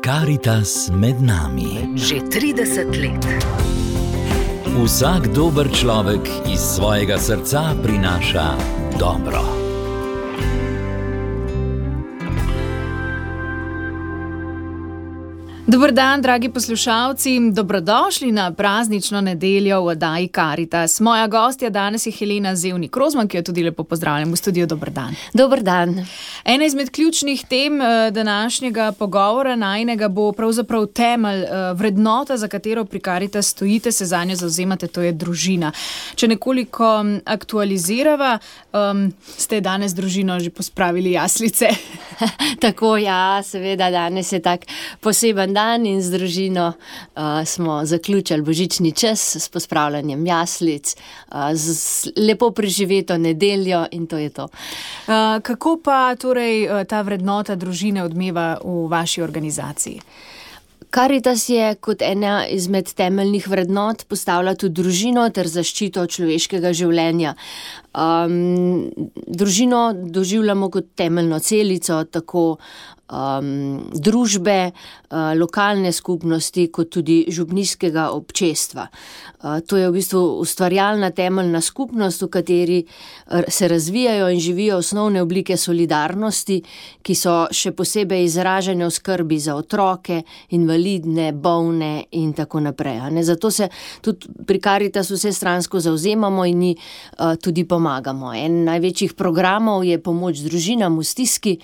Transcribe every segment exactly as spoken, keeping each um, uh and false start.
Karitas med nami. Že trideset let. Vsak dober človek iz svojega srca prinaša dobro. Dober dan, dragi poslušalci, dobrodošli na praznično nedeljo v oddaji Karitas. Moja gostja danes je Helena Zevnik Rozman, ki jo tudi lepo pozdravljam v studiu. Dober dan. Dober dan. Ena izmed ključnih tem današnjega pogovora najinega bo pravzaprav temelj, vrednota, za katero pri Karitas stojite, se zanjo zavzemate, to je družina. Če nekoliko aktualizirava, um, ste danes družino že pospravili jaslice? Tako, ja, seveda, danes je tak poseben dan in z družino uh, smo zaključili božični čas s pospravljanjem jaslic, uh, z lepo preživeto nedeljo in to je to. Uh, kako pa torej ta vrednota družine odmeva v vaši organizaciji? Karitas je kot ena izmed temeljnih vrednot postavlja tudi družino ter zaščito človeškega življenja. Um, družino doživljamo kot temeljno celico, tako um, družbe, uh, lokalne skupnosti, kot tudi župnijskega občestva. Uh, to je v bistvu ustvarjalna temeljna skupnost, v kateri se razvijajo in živijo osnovne oblike solidarnosti, ki so še posebej izražene v skrbi za otroke, invalidne, bolne in tako naprej. Ne? Zato se tudi pri Karitasu vsestransko zavzemamo in ji uh, tudi pomagamo. Pomagamo. En največjih programov je pomoč družinam v stiski,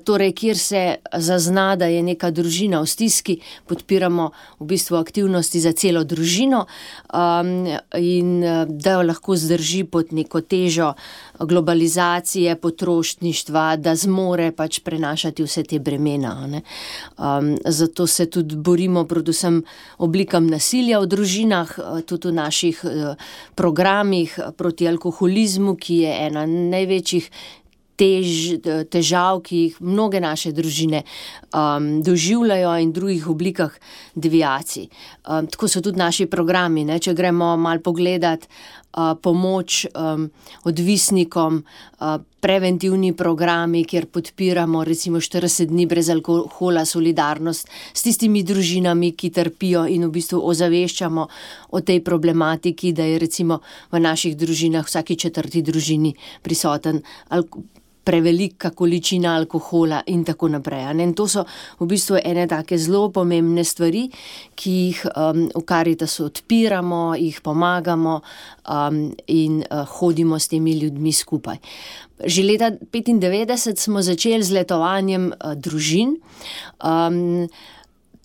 torej kjer se zazna, da je neka družina v stiski, podpiramo v bistvu aktivnosti za celo družino um, in da jo lahko zdrži pod neko težo globalizacije, potrošništva, da zmore pač prenašati vse te bremena. Ne? Um, zato se tudi borimo predvsem oblikam nasilja v družinah, tudi v naših uh, programih proti alkoholizmu, ki je ena največjih tež, težav, ki jih mnoge naše družine um, doživljajo in drugih oblikah deviacij. Um, tako so tudi naši programi, ne? Če gremo malo pogledat uh, pomoč um, odvisnikom, uh, preventivni programi, kjer podpiramo recimo štirideset dni brez alkohola, solidarnost s tistimi družinami, ki trpijo in v bistvu ozaveščamo o tej problematiki, da je recimo v naših družinah vsaki četrti družini prisoten alkohol, prevelika količina alkohola in tako naprej. In to so v bistvu ene take zelo pomembne stvari, ki jih um, v Karitasu odpiramo, jih pomagamo um, in uh, hodimo s temi ljudmi skupaj. Že leta petindevetdeset smo začeli z letovanjem uh, družin. Um,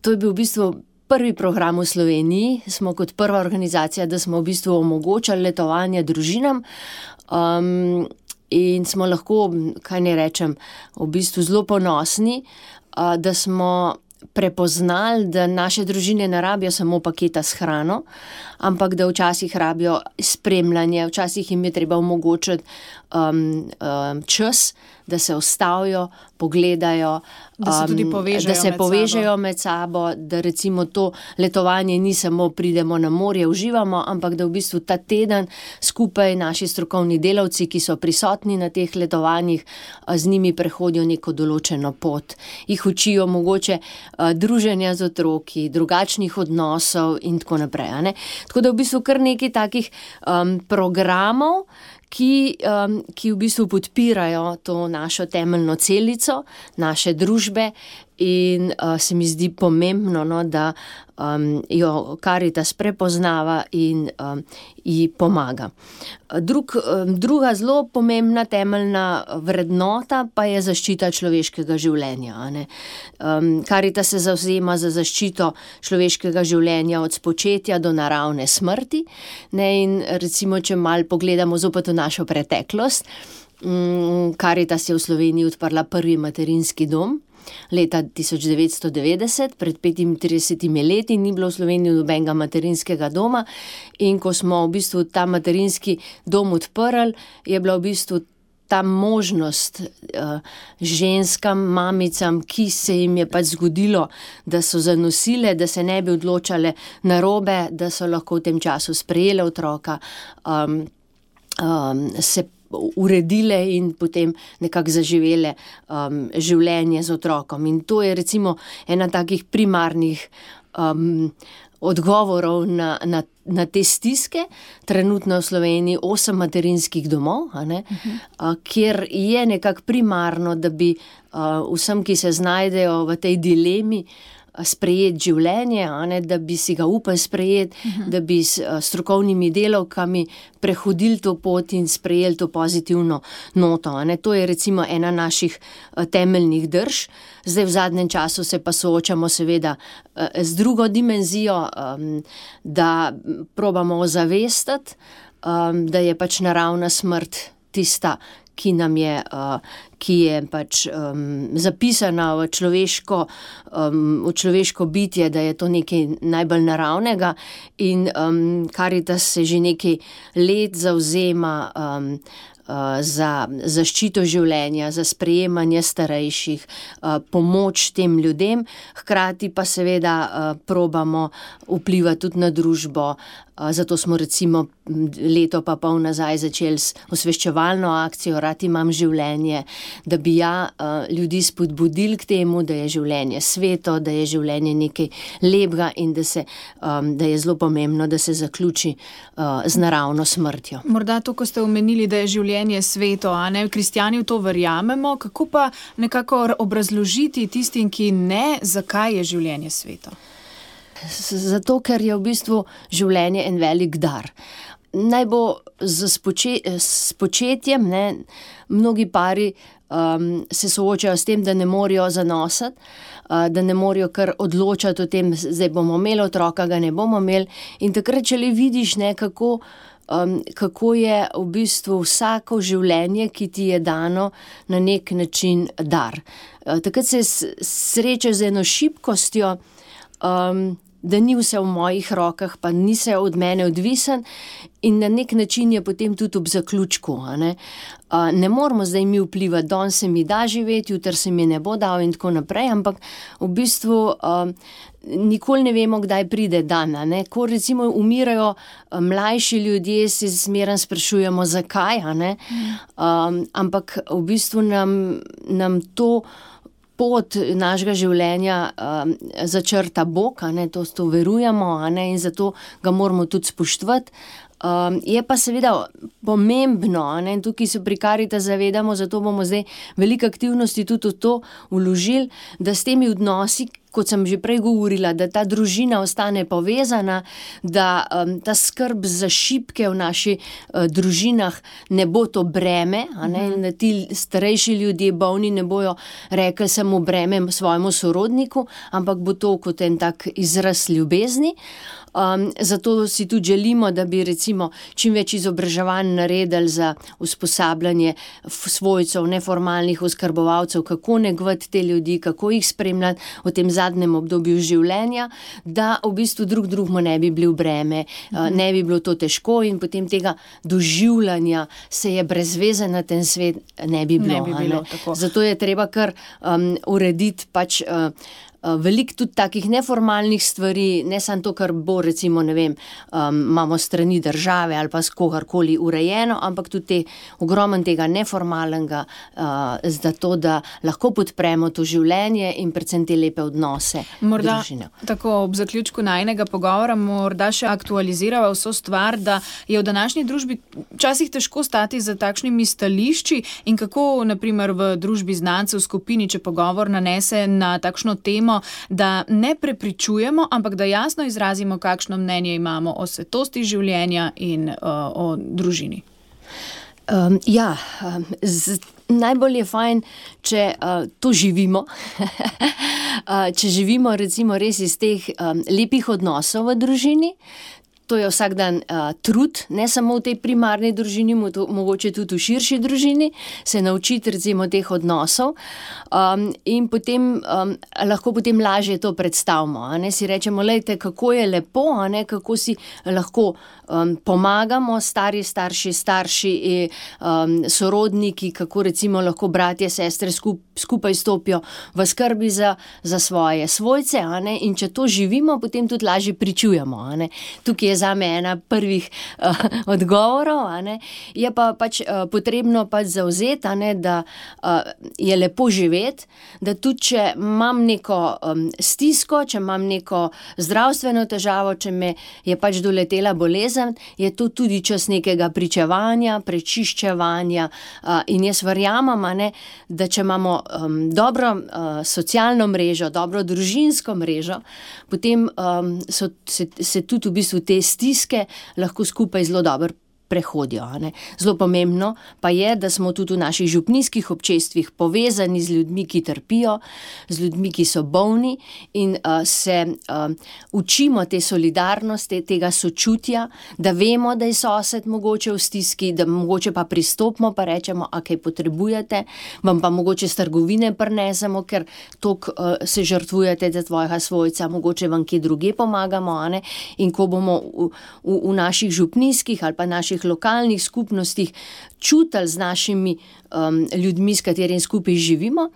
to je bil v bistvu prvi program v Sloveniji. Smo kot prva organizacija, da smo v bistvu omogočali letovanje družinam. Um, In smo lahko, kaj ne rečem, v bistvu zelo ponosni, da smo prepoznali, da naše družine ne rabijo samo paketa s hrano, ampak da včasih rabijo spremljanje, včasih jim je treba omogočiti um, um, čas, da se ustavijo, pogledajo, da se tudi povežejo, da se med, povežejo sabo. med sabo, da recimo to letovanje ni samo pridemo na morje, uživamo, ampak da v bistvu ta teden skupaj naši strokovni delavci, ki so prisotni na teh letovanjih, z njimi prehodijo neko določeno pot. Jih učijo mogoče uh, druženja z otroki, drugačnih odnosov in tako naprej. Ne? Tako da v bistvu kar nekaj takih um, programov, Ki, um, ki v bistvu podpirajo to našo temeljno celico, naše družbe in uh, se mi zdi pomembno, no, da um, jo Karitas prepoznava in um, ji pomaga. Drug, um, druga zelo pomembna temeljna vrednota pa je zaščita človeškega življenja. Ne? Um, Karitas se zavzema za zaščito človeškega življenja od spočetja do naravne smrti. Ne? In recimo, če malo pogledamo zopet v našo preteklost, um, Karitas je v Sloveniji odprla prvi materinski dom. Leta tisoč devetsto devetdeset, pred petintridesetimi leti, ni bilo v Sloveniji nobenega materinskega doma in ko smo v bistvu ta materinski dom odprli, je bila v bistvu ta možnost uh, ženskam, mamicam, ki se jim je pač zgodilo, da so zanosile, da se ne bi odločale narobe, da so lahko v tem času sprejele otroka, um, um, se uredile in potem nekako zaživele um, življenje z otrokom. In to je recimo ena takih primarnih um, odgovorov na, na, na te stiske. Trenutno v Sloveniji osem materinskih domov, a ne, uh-huh. a, kjer je nekako primarno, da bi a, vsem, ki se znajdejo v tej dilemi, sprejeti življenje, a ne, da bi si ga upali sprejeti, uh-huh. da bi s a, strokovnimi delavkami prehodili to pot in sprejeli to pozitivno noto. A ne. To je recimo ena naših a, temeljnih drž. Zdaj v zadnjem času se pa soočamo seveda a, z drugo dimenzijo, a, da probamo ozavestiti, a, da je pač naravna smrt tista, ki nam je, uh, ki je pač um, zapisana v človeško, um, v človeško bitje, da je to nekaj najbolj naravnega in um, Karitas se že nekaj let zavzema um, uh, za zaščito življenja, za sprejemanje starejših, uh, pomoč tem ljudem, hkrati pa seveda uh, probamo vplivati tudi na družbo. Zato smo recimo leto pa pol nazaj začeli s osveščevalno akcijo Rad imam življenje, da bi ja ljudi spodbudili k temu, da je življenje sveto, da je življenje nekaj lepega in da, se, da je zelo pomembno, da se zaključi z naravno smrtjo. Morda to, ko ste omenili, da je življenje sveto, a ne, kristjani v to verjamemo, kako pa nekako obrazložiti tistim, ki ne, zakaj je življenje sveto? Zato, ker je v bistvu življenje en velik dar. Naj bo z spoče, s početjem, ne, mnogi pari um, se soočajo s tem, da ne morejo zanositi, uh, da ne morejo kar odločati o tem, zdaj bomo imeli otroka, ga ne bomo imeli. In takrat, če le vidiš, ne, kako, um, kako je v bistvu vsako življenje, ki ti je dano, na nek način dar. Uh, takrat se srečaš z eno šibkostjo, um, da ni vse v mojih rokah, pa ni se od mene odvisen in na nek način je potem tudi ob zaključku. A ne? A, ne moramo zdaj mi vplivati, danes se mi da živeti, jutri se mi ne bo dal in tako naprej, ampak v bistvu a, nikoli ne vemo, kdaj pride dan. A ne? Ko recimo umirajo a, mlajši ljudje, se zmeraj sprašujemo, zakaj, a ne? A, ampak v bistvu nam, nam to pot našega življenja um, začrta Bog, a ne, to, to verujemo, a ne, in zato ga moramo tudi spoštovati. Um, je pa seveda pomembno, a ne, in tukaj se pri Karitas zavedamo, zato bomo zdaj velike aktivnosti tudi v to vložili, da s temi odnosi, kot sem že prej govorila, da ta družina ostane povezana, da um, ta skrb za šibke v naši uh, družinah ne bo to breme, a ne, mm. da ti starejši ljudje, bolni, ne bojo rekli samo breme svojemu sorodniku, ampak bo to kot en tak izraz ljubezni. Um, zato si tudi želimo, da bi recimo čim več izobraževanj naredili za usposabljanje svojcev, neformalnih oskrbovalcev, kako negovati te ljudi, kako jih spremljati v tem zadnjem obdobju življenja, da v bistvu drug drugmu ne bi bili v breme, uh, ne bi bilo to težko in potem tega doživljanja se je brez veze na ten svet ne bi bilo. Ne bi bilo tako. Zato je treba kar um, urediti pač uh, veliko tudi takih neformalnih stvari, ne samo to, kar bo recimo, ne vem, um, imamo strani države ali pa s kogarkoli urejeno, ampak tudi te, ogromen tega neformalnega, uh, zato, da lahko podpremo to življenje in predvsem te lepe odnose. Morda družine. Tako ob zaključku najinega pogovora morda še aktualizirava vso stvar, da je v današnji družbi včasih težko stati za takšnimi stališči in kako, na primer, v družbi znancev, v skupini, če pogovor nanese na takšno temo, da ne prepričujemo, ampak da jasno izrazimo, kakšno mnenje imamo o svetosti življenja in uh, o družini. Um, ja, um, z, najbolj je fajn, če uh, to živimo, uh, če živimo recimo res iz teh um, lepih odnosov v družini. To je vsak dan uh, trud, ne samo v tej primarni družini, mogoče tudi v širši družini, se naučiti recimo teh odnosov um, in potem um, lahko potem lažje to predstavimo. A ne? Si rečemo, lejte, kako je lepo, a ne? Kako si lahko um, pomagamo, stari, starši, starši, um, sorodniki, kako recimo lahko bratje, sestre skup, skupaj stopijo v skrbi za, za svoje svojce, a ne? In če to živimo, potem tudi lažje pričujemo. A ne? Tukaj je je zame ena prvih uh, odgovorov, a ne. Je pa pač uh, potrebno pač zavzeti, a ne, da uh, je lepo živeti, da tudi, če imam neko um, stisko, če imam neko zdravstveno težavo, če me je pač doletela bolezen, je to tudi čas nekega pričevanja, prečiščevanja uh, in jaz verjamem, a ne, da če imamo um, dobro uh, socialno mrežo, dobro družinsko mrežo, potem um, so, se, se tudi v bistvu te stiske lahko skupaj zelo dobro prehodijo. A ne. Zelo pomembno pa je, da smo tudi v naših župnijskih občestvih povezani z ljudmi, ki trpijo, z ljudmi, ki so bolni in uh, se uh, učimo te solidarnosti, tega sočutja, da vemo, da je sosed mogoče v stiski, da mogoče pa pristopimo pa rečemo, a kaj potrebujete, vam pa mogoče s trgovine prinesemo, ker toliko uh, se žrtvujete za tvojega svojca, mogoče vam kje druge pomagamo, a ne. In ko bomo v, v, v naših župnijskih ali pa naših lokalnih skupnostih čutili z našimi um, ljudmi, s katerimi skupaj živimo,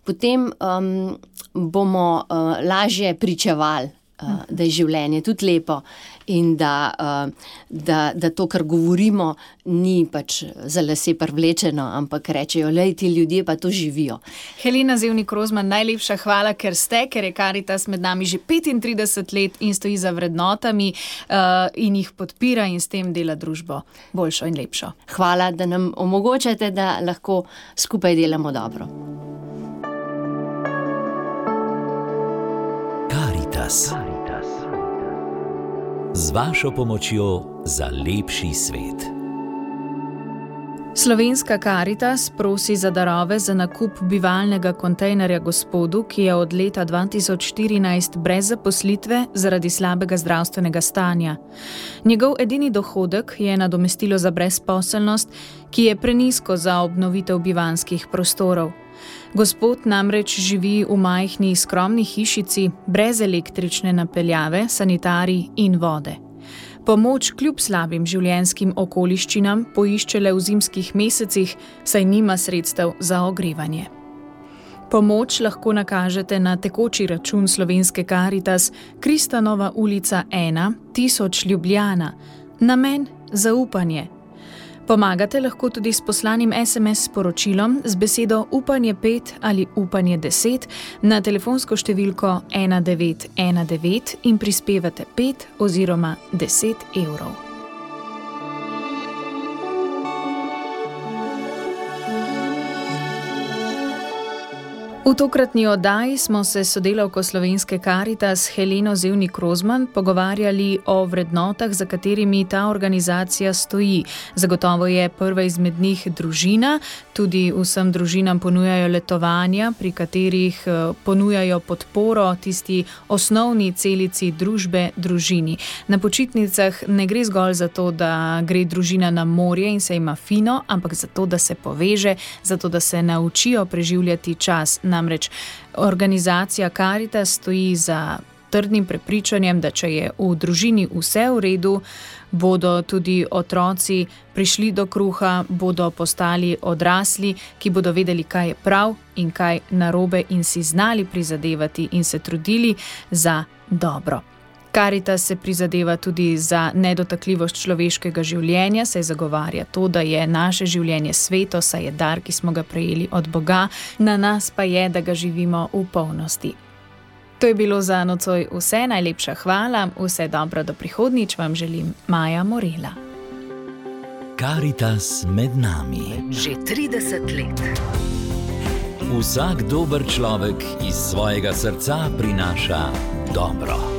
potem um, bomo uh, lažje pričevali, uh, da je življenje tudi lepo in da, uh, da, da to, kar govorimo, ni pač za lase privlečeno, ampak rečejo, lej, ti ljudje pa to živijo. Helena Zevnik Rozman, najlepša hvala, ker ste, ker je Karitas med nami že petintrideset let in stoji za vrednotami uh, in jih podpira in s tem dela družbo boljšo in lepšo. Hvala, da nam omogočate, da lahko skupaj delamo dobro. Karitas. Z vašo pomočjo za lepši svet. Slovenska Karitas prosi za darove za nakup bivalnega kontejnerja gospodu, ki je od leta dva tisoč štirinajst brez zaposlitve zaradi slabega zdravstvenega stanja. Njegov edini dohodek je nadomestilo za brezposelnost, ki je prenizko za obnovitev bivanjskih prostorov. Gospod namreč živi v majhni, skromni hišici, brez električne napeljave, sanitarij in vode. Pomoč kljub slabim življenjskim okoliščinam poišče le v zimskih mesecih, saj nima sredstev za ogrevanje. Pomoč lahko nakažete na tekoči račun Slovenske Karitas, Kristanova ulica ena, tisoč Ljubljana, namen zaupanje. Pomagate lahko tudi s poslanim es em es sporočilom z besedo upanje pet ali upanje deset na telefonsko številko ena devet ena devet in prispevate pet oziroma deset evrov. V tokratni oddaji smo se s sodelavko Slovenske Karitas Heleno Zevnik Rozman pogovarjali o vrednotah, za katerimi ta organizacija stoji. Zagotovo je prva izmed njih družina, tudi vsem družinam ponujajo letovanja, pri katerih ponujajo podporo tisti osnovni celici družbe, družini. Na počitnicah ne gre zgolj za to, da gre družina na morje in se ima fino, ampak za to, da se poveže, za to, da se naučijo preživljati čas. Namreč organizacija Karitas stoji za trdnim prepričanjem, da če je v družini vse v redu, bodo tudi otroci prišli do kruha, bodo postali odrasli, ki bodo vedeli, kaj je prav in kaj narobe in si znali prizadevati in se trudili za dobro. Karitas se prizadeva tudi za nedotakljivost človeškega življenja, saj zagovarja to, da je naše življenje sveto, saj je dar, ki smo ga prejeli od Boga, na nas pa je, da ga živimo v polnosti. To je bilo za nocoj vse, najlepša hvala, vse dobro do prihodnjič vam želim Maja Morela. Karitas med nami. Že trideset let. Vsak dober človek iz svojega srca prinaša dobro.